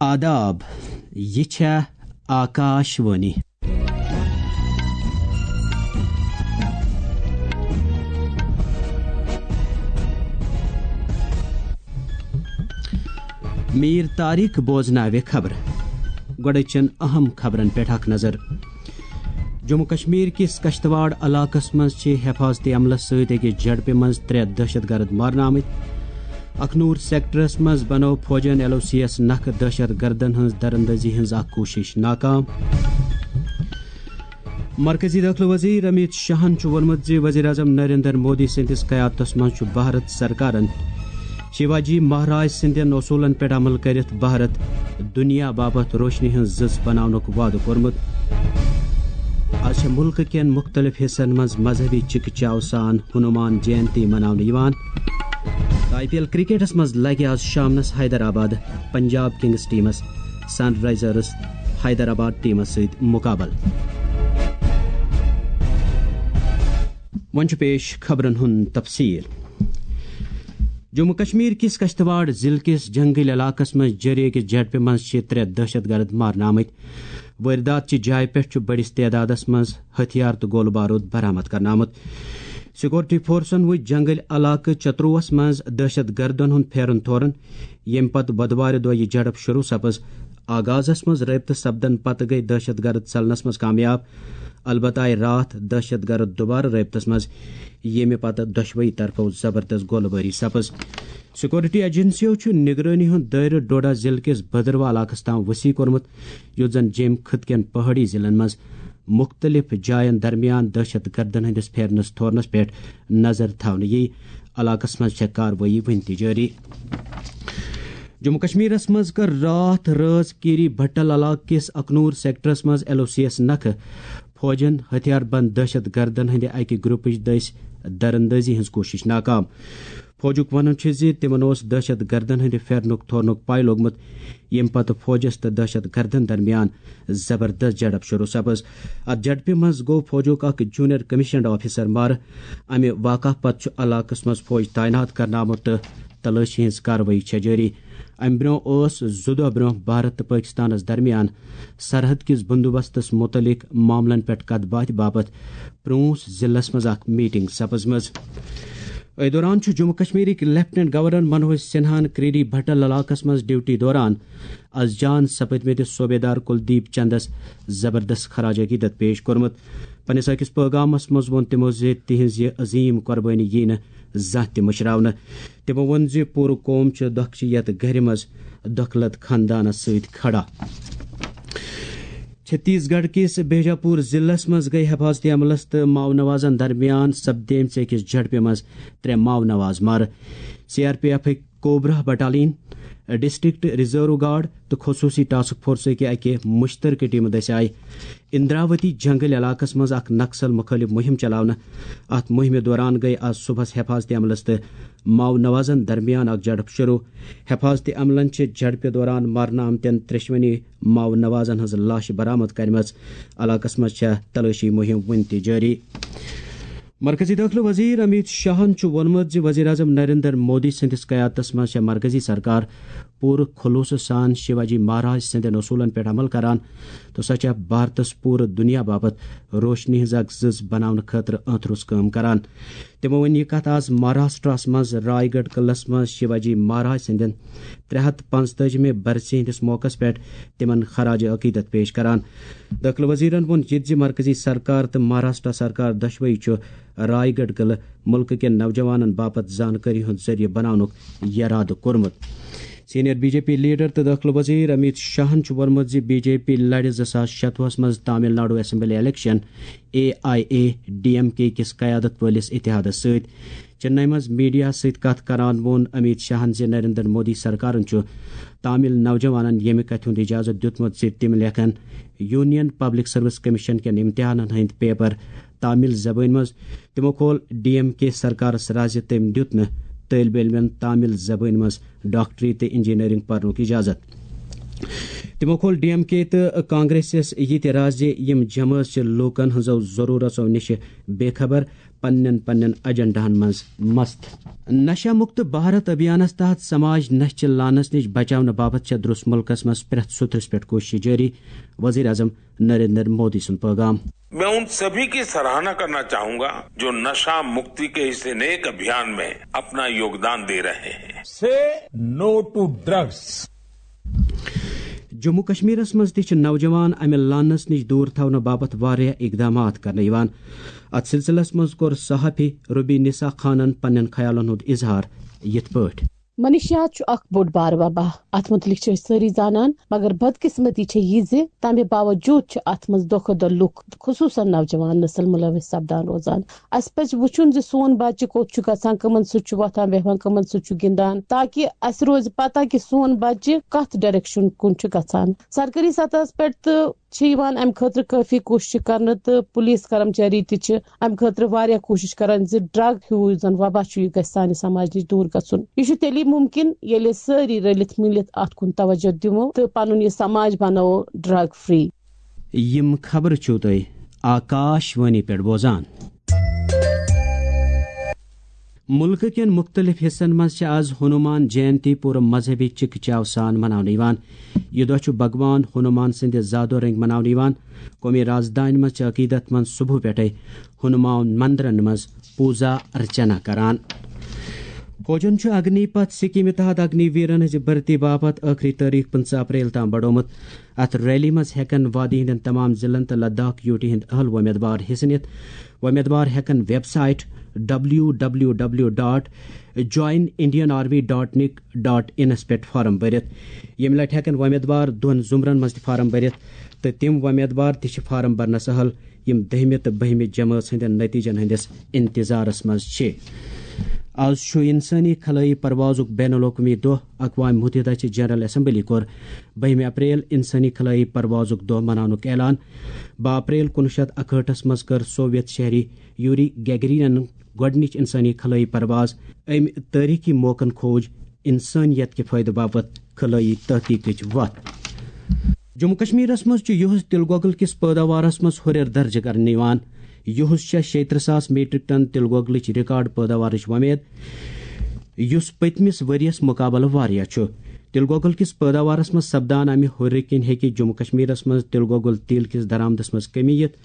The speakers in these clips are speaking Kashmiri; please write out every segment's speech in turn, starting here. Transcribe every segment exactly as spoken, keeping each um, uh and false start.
آداب، یہِ چھےٚ آکاش وانی۔ میٖر طارق بوزناوِ خبرٕ۔ گۄڈٕ چَن اہم خبرن پٮ۪ٹھ اکھ نظر۔ جموں کشمیر کِس کشتواڑ علاقس منٛز چھِ حفاظتی عملس سۭتۍ أکِس جھڑپہِ منٛز ترٛےٚ دہشت گرد مارنہٕ آمٕتۍ۔ اکھنور سیکٹرس منٛز بنوو فوجن ایل او سی یس نکھٕ دہشت گردن ہٕنٛز دراندازی ہٕنٛز اکھ کوٗشش ناکام۔ مرکزی دٲخلہٕ وزیر امیت شاہن چھُ ووٚنمُت زِ وزیر اعظم نریندر مودی سٕنٛدِس قیادتس منٛز چھُ بھارت سرکارن شیواجی مہاراج سٕنٛدٮ۪ن اصوٗلن پٮ۪ٹھ عمل کٔرِتھ بھارت دُنیا باپتھ روشنی ہٕنٛز زٕژ بناونُک وعدٕ کوٚرمُت۔ از چھےٚ مُلکہٕ کٮ۪ن مُختٔلِف حصن منٛز مذہبی چِکہٕ چاو سان ہنومان جینتی مناونہٕ یِوان۔ تہٕ آئی پی ایل کرکٹس منٛز لگہِ از شامنس حیدرآباد پنجاب کنگز ٹیمس سن رائزرس حیدرآباد ٹیمس سۭتۍ مقابلہٕ۔ وۄنۍ چھُ پیش خبرن ہُنٛد تفصیل۔ جموں کشمیر کِس کشتواڑ ضلعہٕ کِس جنگل علاقس منٛز جٲری أکِس جھڑپہِ منٛز چھِ ترٛےٚ دہشت گرد مارنہٕ آمٕتۍ۔ وٲردات چہِ جایہِ پٮ۪ٹھ چھُ بٔڑِس تعدادس منٛز ہتھیار تہٕ گولہٕ بارود برآمد کرنہٕ آمُت۔ سیکورٹی فورسن وُچھ جنگل علاقہٕ چتروس منٛز دہشت گردن ہُنٛد پھیرُن تھورُن، ییٚمہِ پتہٕ بۄدوارِ دۄہ یہِ جھڑپ شروع سپٕز۔ آغازس منٛز رٲبطہٕ سپدن پتہٕ گٔے دہشت گرد ژلنس منٛز کامیاب، البتہ آیہِ راتھ دہشت گرد دوبارٕ رٲبطس منٛز، ییٚمہِ پتہٕ دۄشوٕے طرفو زبردست گولہٕ بٲری سپٕز۔ سیکورٹی ایجنسیو چھُ نگرٲنی ہُنٛد دٲیرٕ ڈوڈا ضلعہٕ کِس بدروا علاقس تام وسیع کوٚرمُت، یُتھ زن جیٚمۍ خٕطہٕ کٮ۪ن پہٲڑی ضلعن منٛز مُختٔلِف جاین درمیان دہشت گردن ہٕنٛدِس پھیرنس تھورنس پٮ۪ٹھ نظر تھاونہٕ یِیہِ۔ علاقس منٛز چھےٚ کاروٲیی وُنہِ تہِ جٲری۔ جموں کشمیرس منٛز کٔر راتھ رٲژ کیری بھٹل علاقہٕ کِس اکنور سیکٹرس منٛز ایل او سی یس نکھٕ فوجن ہتھیار بند دہشت گردن ہٕنٛدِ اکہِ گروپٕچ دٔسۍ دراندازی ہٕنٛز کوٗشش ناکام۔ فوجُک وَنُن چھُ زِ تِمَن اوس دہشت گردَن ہٕنٛدِ پھیرنُک تھورنُک پَے لوٚگمُت، ییٚمہِ پَتہٕ فوجَس تہٕ دہشت گردَن درمیان زبردست جھڑپ شروع سپٕز۔ اَتھ جھڑپہِ منٛز گوٚو فوجُک اکھ جونیئر کمشنڈ آفیسر مارٕ۔ اَمہِ واقعہٕ پتہٕ چھُ علاقَس منٛز فوج تعینات کرنہٕ آمُت تہٕ تلٲشی ہٕنٛز کاروٲیی چھےٚ جٲری۔ اَمہِ برٛونٛہہ اوس زٕ دۄہ برٛونٛہہ بھارت تہٕ پٲکِستانَس درمیان سرحد کِس بندوبستَس مُتعلِق معاملَن پٮ۪ٹھ کَتھ باتھِ باپتھ پرٛونٛس ضلعس منٛز اکھ میٹنگ سپٕزمٕژ۔ أتھۍ دوران چھُ جموں کشمیرٕکۍ لیفٹیننٹ گورنر منوج سنہاہن کریڈی بھٹل علاقس منٛز ڈیوٹی دوران از جان سپدمٕتِس صوبیدار کلدیپ چندس زبردست خراج عقیدت پیش کوٚرمُت۔ پننِس أکِس پٲغامس منٛز ووٚن تِمو زِ تِہنٛز یہِ عظیم قربٲنی یِیہِ نہٕ زانٛہہ تہِ مٔشراونہٕ۔ تِمو ووٚن زِ پوٗرٕ قوم چھُ دۄکھچہِ یتھ گرِ منٛز دۄکھلت خاندانس سۭتۍ کھڑا۔ چھتیس گڑھ کِس بیجاپور ضلعس منٛز گٔے حفاظتی عملس تہٕ ماؤ نوازن درمیان سپدیمژِ أکِس جھڑپہِ منٛز ترٛےٚ ماؤ نواز مارٕ۔ C R P F cobra battalion, district reserve guard تہٕ خصوصی ٹاسک فورسٕکہِ اکہِ مشترکہٕ ٹیمہٕ دٔسۍ آیہِ اندراوتی جنگل علاقس منٛز اکھ نکسل مخالف مہم چلاونہٕ۔ اتھ مہمہِ دوران گٔے آز صبحس حفاظتی عملس تہٕ ماؤ نوازن درمیان اکھ جھڑپ شروع۔ حفاظتی عملن چھِ جھڑپہِ دوران مارنہٕ آمتٮ۪ن ترٛیٚشوٕنی ماؤ نوازن ہٕنٛز لاشہِ برآمد کرِمژ۔ علاقس منٛز چھےٚ تلٲشی مہم وُنہِ تہِ جٲری۔ مرکزی دٲخلہٕ وزیر امیت شاہن چھُ ووٚنمُت زِ وزیر اعظم نریندر مودی سٕنٛدِس قیادتس منٛز چھےٚ مرکزی سرکار پوٗرٕ خلوصہٕ سان شیواجی مہاراج سٕنٛدٮ۪ن اصوٗلن پٮ۪ٹھ عمل کران تہٕ سۄ چھےٚ بھارتس پوٗرٕ دُنیا باپتھ روشنی ہٕنٛز اکھ زٕژ بناونہٕ خٲطرٕ أنٛتھ روٚس کٲم کران۔ تِمو ووٚن یہِ کتھ آز مہاراشٹرس منٛز رائے گڑھ قلعس منٛز شیواجی مہاراج سٕنٛدٮ۪ن ترٛےٚ ہتھ پانٛژتٲجِمہِ برسی ہٕنٛدِس موقعس پٮ۪ٹھ تِمن خراج عقیدت پیش کران۔ دٲخلہٕ وزیرن ووٚن یہِ تہِ زِ مرکزی سرکار تہٕ مہاراشٹر سرکار دۄشوٕے چھُ رائے گڑھ قلعہٕ مُلکہٕ کٮ۪ن نوجوانن باپتھ زانکٲری ہُنٛد ذٔریعہٕ بناونُک یرادٕ کوٚرمُت۔ Senior B J P leader تہٕ دٲخلہٕ وزیر امیت شاہن چھُ ووٚنمُت زِ بی جے پی لڑِ زٕ ساس شتوُہس منٛز Tamil Nadu assembly election A I A D M K کِس قیادت وٲلِس اتحادس سۭتۍ۔ چنئی منٛز میڈیا سۭتۍ کتھ کران ووٚن امیت شاہن زِ نریندر مودی سرکارن چھُ تامل نوجوانن ییٚمہِ کتھِ ہُنٛد اجازت دیُتمُت زِ تِم لیکھن یونین پبلک سروس کمیشن کٮ۪ن امتحانن ہٕنٛدۍ پیپر تامل زبٲنۍ منٛز۔ تِمو کھول ڈی ایم کے سرکارس راز زِ تٔمۍ دیُت نہٕ طٲلبہِ علمن تامل زبٲنۍ منٛز ڈاکٹری تہٕ انجینئرنگ پرنُک اجازت۔ تِمو کھول ڈی ایم کے تہٕ کانگریسس یہِ تہِ راز زِ یِم جمٲژ چھِ لوٗکن ہٕنٛزو ضروٗرژو نِش بے خبر، پننٮ۪ن پننٮ۪ن ایجنڈاہن منٛز مست۔ نشہ مکت بھارت ابھیانس تحت سماج نشہ چہِ لعنس نِش بچاونہٕ باپتھ چھےٚ درٛس مُلکس منٛز پرٛٮ۪تھ سوٚتھرس پٮ۪ٹھ کوٗشش جٲری، وزیر اعظم نریندر مودی سُنٛد پیغام۔ मैं उन सभी की सराहना करना चाहूंगा जो नशा मुक्ति के इस नेक अभियान में अपना योगदान दे रहे हैं। Say no to drugs. Jammu کشمیرس منٛز تہِ چھِ نوجوان امہِ لعنس نِش دوٗر تھاونہٕ باپتھ واریاہ اقدامات کرنہٕ یِوان۔ اتھ سلسلس منٛز کوٚر صحافی ربی نسا خانن پننٮ۪ن خیالن ہُنٛد اظہار یِتھ پٲٹھۍ۔ منشیات چھُ اکھ بوٚڑ بار وبا۔ اتھ متعلق چھِ أسۍ سٲری زانان، مگر بدقسمتی چھےٚ یہِ زِ تمہِ باوجود چھِ اتھ منٛز دۄہ کھۄتہٕ دۄہ لُکھ، خصوصاً نوجوان نسل، ملوث سپدان روزان۔ اسہِ پزِ وُچھُن زِ سون بچہِ کوٚت چھُ گژھان، کٕمن سۭتۍ چھُ وۄتھان بیہوان، کٕمن سۭتۍ چھُ گِنٛدان، تاکہِ اسہِ روزِ پتہ کہِ سون بچہِ کتھ ڈائریکشن کُن چھُ گژھان۔ سرکٲری سطحس پٮ۪ٹھ تہٕ چھِ یِوان امہِ خٲطرٕ کٲفی کوٗشش کرنہٕ تہٕ پُلیٖس کرمچاری تہِ چھِ امہِ خٲطرٕ واریاہ کوٗشش کران زِ ڈرگ ہیوٗ یُس زن وبا چھُ، یہِ گژھِ سانہِ سماج نِش دوٗر گژھُن۔ یہِ چھُ تیٚلی مُمکِن ییٚلہِ أسۍ سٲری رٔلِتھ مِلِتھ اتھ کُن توجہ دِمو تہٕ پنُن یہِ سماج بناوو ڈرگ فری۔ یِم خبرٕ چھِو تُہۍ آکاش وانی پٮ۪ٹھ بوزان۔ مُلکہٕ کٮ۪ن مُختٔلِف حِصن منٛز چھِ آز ہنومان جینتی پوٗرٕ مذہبی چِکہٕ چاو سان مناونہٕ یِوان۔ یہِ دۄہ چھُ بھگوان ہنومان سٕنٛدِ زادو رٔنٛگۍ مناونہٕ یِوان۔ قومی رازدانہِ منٛز چھِ عقیدت منٛز صبحہٕ پٮ۪ٹھے ہنومان مندرن منٛز پوٗزا ارچنا کران۔ فوجن چھُ اگنی پتھ سکیمہِ تحت اگنی ویرن ہٕنٛزِ بھرتی باپتھ ٲخری تٲریخ پٕنٛژٕہ اپریل تام بڑومُت۔ اتھ ریلی منٛز ہٮ۪کن وادی ہٕنٛدٮ۪ن تمام ضلعن تہٕ لداخ یوٗ ٹی ہٕنٛدۍ اہل وۄمیدوار حصہٕ نِتھ۔ وۄمیدوار ہٮ۪کن web site W W W dot join Indian army dot nic dot انس پٮ۪ٹھ فارم بٔرِتھ۔ ییٚمہِ لٹہِ ہٮ۪کن وۄمیدوار دۄن زُمرن منٛز تہِ فارم بٔرِتھ تہٕ تِم وۄمیدوار تہِ چھِ فارم بھرنس اہل یِم دٔہمہِ تہٕ بٔہمہِ جمٲژ ہٕنٛدٮ۪ن نتیجن ہٕنٛدِس انتظارس منٛز چھِ۔ آز چھُ انسٲنی خلٲیی پروازُک بین الاقوٲمی دۄہ۔ اقوام متحدہ چہِ جنرل اسمبلی کوٚر بٔہمہِ اپریل انسٲنی خلٲیی پروازُک دۄہ مناونُک اعلان۔ باہ اپریل کُنوُہ شیٚتھ اکہٲٹھس منٛز کٔر سوویت شہری یوری گیگرینن گۄڈٕنِچ انسٲنی خلٲیی پرواز۔ أمۍ تٲریخی موقعن کھوج انسٲنیت کہِ فٲیدٕ باپتھ خلٲیی تحقیقٕچ وتھ۔ جموں کشمیرس منٛز چھُ یُہُس تِلہٕ گۄگُل کِس پٲداوارس منٛز ہُرٮ۪ر درجہٕ کرنہٕ یِوان۔ یُہُس چھےٚ شیٚیہِ ترٕٛہ ساس میٹرک ٹن تِلہٕ گۄگلٕچ ریکارڈ پٲداوارٕچ وۄمید۔ یُس پٔتمِس ؤرۍ یَس مُقابلہٕ واریاہ چھُ۔ تِلہٕ گۄگُل کِس پٲداوارَس منٛز سپدان اَمہِ ہُرِ کِنۍ ہیٚکہِ جموں کشمیرَس منٛز تِلہٕ گۄگُل تیٖل کِس درآمدَس منٛز کٔمی یِتھ۔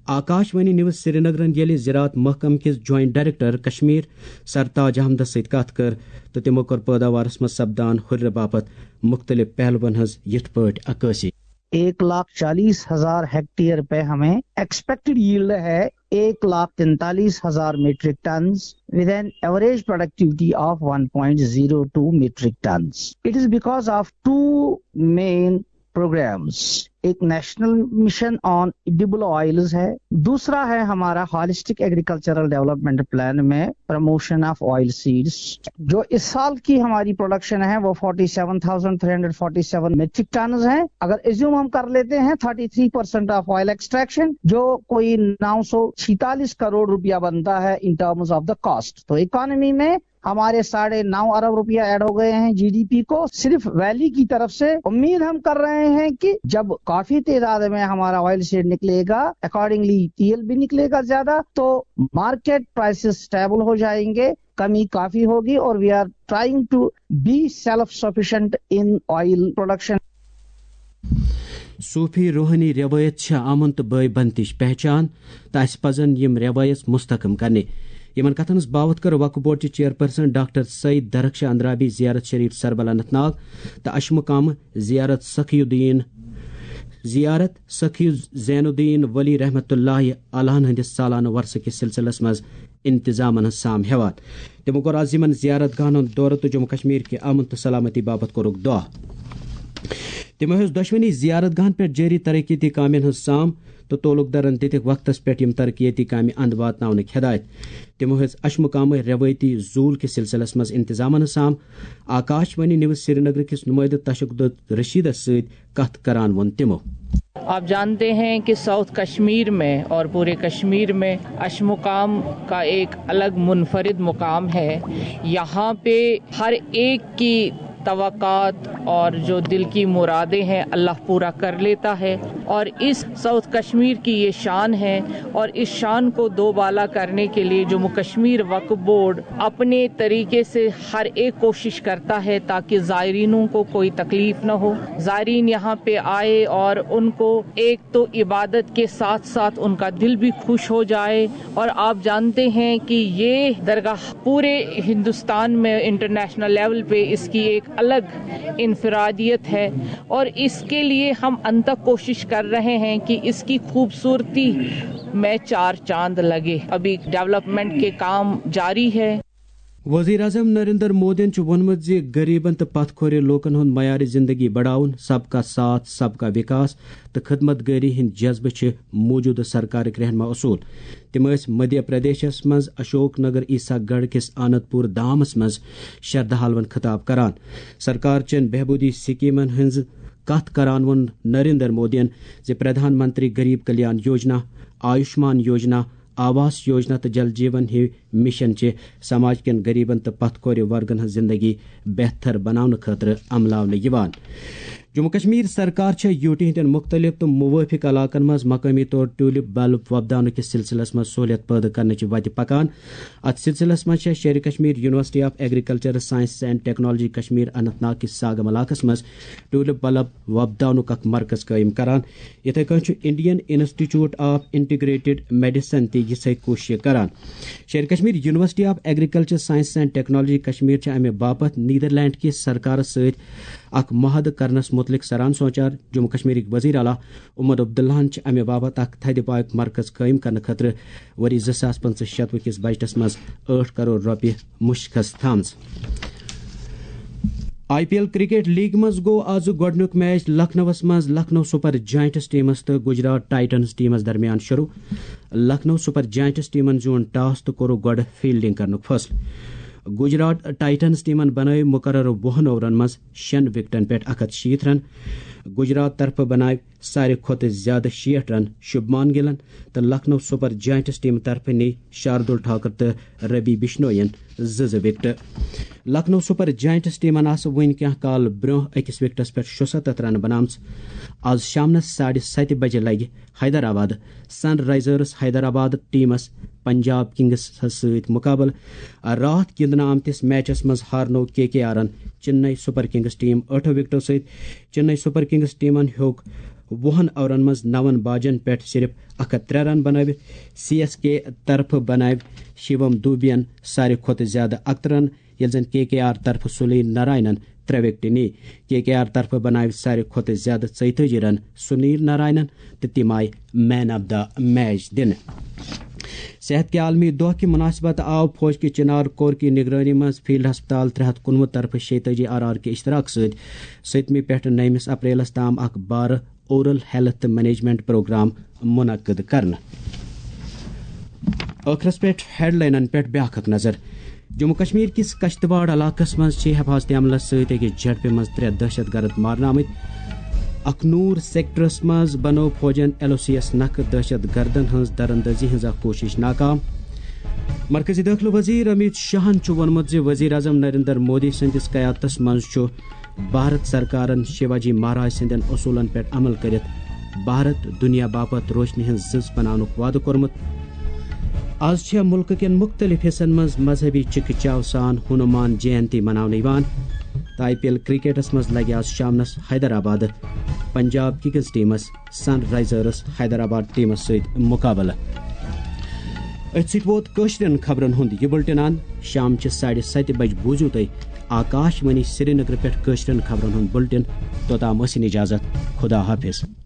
آکاش وانی نیوز سرینگرَن ییٚلہِ زراعت محکمہٕ کِس جوائنٹ ڈائریکٹر کشمیر سرتاج احمدَس سۭتۍ کَتھ کٔر تہٕ تِمو کٔر پٲداوارَس منٛز سپدان ہُرِ باپتھ مُختٔلِف پہلوَن ہٕنٛز یِتھ پٲٹھۍ عکٲسی۔ ایک لاکھ چالیس ہزار ہیکٹیئر پہ ہمیں ایکسپیکٹڈ ییلڈ ہے ایک لاکھ تینتالیس ہزار metric tonnes with an average productivity of one point zero two metric tons. It is because of two main programs. ایک national mission on edible oils ہے، دوسرا ہے ہمارا ہالسٹک ایگریکلچرل ڈیولپمنٹ پلان میں پروموشن آف آئل سیڈز۔ جو اس سال کی ہماری پروڈکشن ہے وہ forty seven thousand three hundred forty seven metric tons ہیں۔ اگر ایزیوم ہم کر لیتے ہیں thirty three percent of oil extraction, جو کوئی نو سو چھیتالیس کروڑ روپیہ بنتا ہے in terms of the cost. تو اکانومی میں ہمارے ساڑھے نو ارب روپیہ ایڈ ہو گئے ہیں جی ڈی پی کو صرف ویلی کی طرف سے۔ امید ہم کر رہے ہیں کہ جب کافی تعداد میں ہمارا آئل سیڈ نکلے گا، اکارڈنگلی تیل بھی نکلے گا زیادہ، تو مارکیٹ پرائسز اسٹیبل ہو جائیں گے، کمی کافی ہوگی اور we are trying to be self sufficient in oil production. صوفی روحانی روایت چھےٚ امن تہٕ بٲے بنتٕچ پہچان تہٕ اسہِ پزن یِم روایژ مستحکم کرنہِ۔ یِمن کتھن ہٕنٛز باوتھ کٔر وقف بورڈ چہِ چیئرپرسن ڈاکٹر سعید درخش اندرابی زیارت شریف سربل اننت ناگ تہٕ اشمقام زیارت سخی الدین، زیارت سخی زین الدین ولی رحمت اللہ علیہن ہٕنٛدِس سالانہٕ ورثہٕ کِس سلسلس منٛز انتظامن ہٕنٛز سام ہیوان۔ تِمو کوٚر آز یِمن زیارت گاہن ہُنٛد دورٕ تہٕ جموں کشمیر کہِ امن تہٕ سلامتی باپتھ کوٚرُکھ دعا۔ تِمو ہیوٚژ دۄشوٕنی زیارت گاہن پٮ۪ٹھ جٲری ترقیتی کامٮ۪ن ہٕنٛز سام تہٕ تعلق دارن دِتِکھ وقتس پٮ۪ٹھ یِم ترقیتی کامہِ اند واتناونٕکۍ ہدایت۔ تِمو ہیوٚژ اشمقامٕکۍ رٮ۪وٲیتی زوٗل کِس سلسلس منٛز انتظامن ہٕنٛز سام۔ آکاش وانی نیوز سرینگر کِس نُمٲیدٕ تشکدت رشیدس سۭتۍ کتھ کران ووٚن تِمو۔ आप जानते हैं कि साउथ कश्मीर में और पूरे कश्मीर में अशमुकाम का एक अलग मुनफरिद मुकाम है। यहाँ पे हर एक की توقعات اور جو دل کی مرادیں ہیں، اللہ پورا کر لیتا ہے۔ اور اس ساؤتھ کشمیر کی یہ شان ہے، اور اس شان کو دوبالا کرنے کے لیے جموں کشمیر وقف بورڈ اپنے طریقے سے ہر ایک کوشش کرتا ہے تاکہ زائرینوں کو کوئی تکلیف نہ ہو، زائرین یہاں پہ آئے اور ان کو ایک تو عبادت کے ساتھ ساتھ ان کا دل بھی خوش ہو جائے۔ اور آپ جانتے ہیں کہ یہ درگاہ پورے ہندوستان میں انٹرنیشنل لیول پہ اس کی ایک الگ انفرادیت ہے، اور اس کے لیے ہم انتک کوشش کر رہے ہیں کہ اس کی خوبصورتی میں چار چاند لگے۔ ابھی ڈیولپمنٹ کے کام جاری ہے۔ وزیر اعظم نریندر مودیَن چھُ ووٚنمُت زِ غریبن تہٕ پتھ کھورِ لوٗکن ہُنٛد معیار زندگی بڑاوُن، سب کا ساتھ، سب کا وکاس تہٕ خدمت گٲری ہٕنٛدۍ جذبہٕ چھِ موٗجوٗدٕ سرکارٕکۍ رہنما اصوٗل۔ تِم ٲسۍ مدھیہ پردیشس منٛز اشوک نگر عیسیٰ گڑھ کِس آنند پور دھامس منٛز شردھالوَن خطاب کران۔ سرکار چٮ۪ن بہبوٗدی سکیٖمن ہٕنٛز کتھ کران ووٚن نریندر مودیَن زِ پردھان منتری غریب کلیان یوجنا، آیوشمان یوجنا، آواس یوجنا تہٕ جل جیون ہِوۍ مشن چھِ سماج کٮ۪ن غریبن تہٕ پتھ کھورِ ورگن ہٕنٛز زندگی بہتر بناونہٕ خٲطرٕ عملاونہٕ یِوان۔ جموں کشمیر سرکار چھےٚ یوٗٹی ہٕنٛدٮ۪ن مُختٔلِف تہٕ مُوٲفِق علاقن منٛز مقٲمی طور ٹیوٗلِپ بلب وۄپداونہٕ کِس سلسلس منٛز سہوٗلیت پٲدٕ کرنٕچہِ وتہِ پکان۔ اتھ سلسلس منٛز چھےٚ Sher-i Kashmir university of agriculture sciences and technology Kashmir Anantnag کِس ساگم علاقس منٛز ٹیوٗلِپ بلب وۄپداونُک اکھ مرکز قٲیِم کران۔ یِتھے کٔنۍ چھُ Indian institute of integrated medicine تہِ یِژھے کوٗششہٕ کران۔ Sher-i Kashmir university of agriculture sciences and technology Kashmir چھِ امہِ باپتھ نیدرلینڈ کِس سرکارس سۭتۍ اکھ معاہدٕ کرنس مُتعلق سران سونچان۔ جموں کشمیرٕکۍ وزیر اعلیٰ عمر عبداللہن چھِ امہِ باپتھ اکھ تھدِ پایُک مرکز قٲیِم کرنہٕ خٲطرٕ ؤری زٕ ساس پٕنٛژٕہ شتوُہ کِس بجٹس منٛز ٲٹھ کرور رۄپیہِ مُشخص تھٲومٕژ۔ I P L cricket league منٛز گوٚو آز گۄڈٕنیُک میچ لکھنؤَس منٛز لکھنؤ سپر جائنٹس ٹیمس تہٕ گجرات ٹائٹنز ٹیمس درمیان شروع۔ لکھنؤ سپر جائنٹس ٹیمن زیوٗن ٹاس تہٕ کوٚرُکھ گۄڈٕ فیلڈنگ کرنُک فٲصلہٕ۔ گجرات ٹائٹنز ٹیمن بنٲوۍ مقررٕ وُہن اوورن منٛز شٮ۪ن وکٹن پٮ۪ٹھ اکھ ہتھ شیٖتھ رن۔ گجرات طرفہٕ بناوِ ساروی کھۄتہٕ زیادٕ شیٹھ رن شُبمان گِلن تہٕ لکھنؤ سپر جائنٹس ٹیمہٕ طرفہٕ نی شاردُل ٹھاکر تہٕ ربی بشنوین زٕ زٕ وکٹہٕ۔ لکھنؤ سپر جائنٹس ٹیمن آسہٕ وُنہِ کینٛہہ کال برٛونٛہہ أکِس وکٹس پٮ۪ٹھ شُستتھ رنہٕ بناومژٕ۔ آز شامنس ساڑِ ستہِ بجہِ لگہِ حیدرآباد سن رائزرز حیدرآباد ٹیمس پنجاب کنگس سۭتۍ مقابلہٕ۔ راتھ گِنٛدنہٕ آمتِس میچس منٛز ہارنوو کے کے آرن چنئی سپر کنگس ٹیم ٲٹھو وکٹو سۭتۍ۔ چنئی سپر کنگس ٹیمن ہیوٚک وُہن اورن منٛز نون باجن پٮ۪ٹھ صرف اکھ ہتھ ترٛےٚ رن بنٲوِتھ۔ سی ایس کے طرفہٕ بنٲوۍ شیوم دوبین ساروی کھۄتہٕ زیادٕ اکترٕہ رن، ییٚلہِ زن کے کے آر طرفہٕ سنیل ناراینن ترٛےٚ وکٹہٕ نی۔ کے کے آر طرفہٕ بناوِ ساروی کھۄتہٕ زیادٕ ژۄیتٲجی رن سنیل ناراینن تہٕ تِم آیہِ مین آف دا میچ دِنہٕ۔ صحت کہِ عالمی دۄہ کہِ مناسبت آو فوج کہِ چنار کور کہِ نگرٲنی منٛز فیلڈ ہسپتال ترٛےٚ ہتھ کُنوُہ طرفہٕ شیٚتٲجی آر آر کہِ اشتراک سۭتۍ سٔتمہِ پٮ۪ٹھ نٔیمِس اپریلس تام اکھ بارٕ اورل ہیلتھ مینجمنٹ پروگرام منعقد کرنہٕ۔ ٲخرس پٮ۪ٹھ ہیڈلاینن پٮ۪ٹھ بیاکھ اکھ نظر۔ جموں کشمیر کِس کشتواڑ علاقس منٛز چھِ حفاظت عملس سۭتۍ أکِس جھڑپہِ منٛز ترٛےٚ دہشت گرد مارنہٕ آمٕتۍ۔ اکھ نور سیکٹرس منٛز بنٲو فوجن ایل او سی یس نکھٕ دہشت گردن ہٕنٛز دراندازی ہٕنٛز اکھ کوٗشش ناکام۔ مرکزی دٲخلہٕ وزیر امیت شاہن چھُ ووٚنمُت زِ وزیر اعظم نریندر مودی سٕنٛدِس قیادتس منٛز چھُ بھارت سرکارن شیواجی مہاراج سٕنٛدٮ۪ن اصوٗلن پٮ۪ٹھ عمل کٔرِتھ بھارت دُنیا باپتھ روشنی ہٕنٛز زٕژ بناونُک وعدٕ کوٚرمُت۔ از چھےٚ مُلکہٕ کٮ۪ن مُختٔلِف حصن منٛز مذہبی چِکہٕ چاو سان ہنومان جینتی مناونہٕ یِوان۔ تہٕ آئی پی ایل کرکٹس منٛز لگہِ از شامنس حیدرآباد پنجاب کنگز ٹیمس سن رائزرز حیدرآباد ٹیمس سۭتۍ مقابلہٕ۔ أتھۍ سۭتۍ ووت کٲشرٮ۪ن خبرن ہُنٛد یہِ بُلٹن اند۔ شام چہِ ساڑِ ستہِ بجہِ بوٗزِو تُہۍ آکاش وانی سرینگر پٮ۪ٹھ کٲشرٮ۪ن خبرن ہُنٛد بُلٹن۔ توٚتام ٲسِن اجازت۔ خدا حافظ۔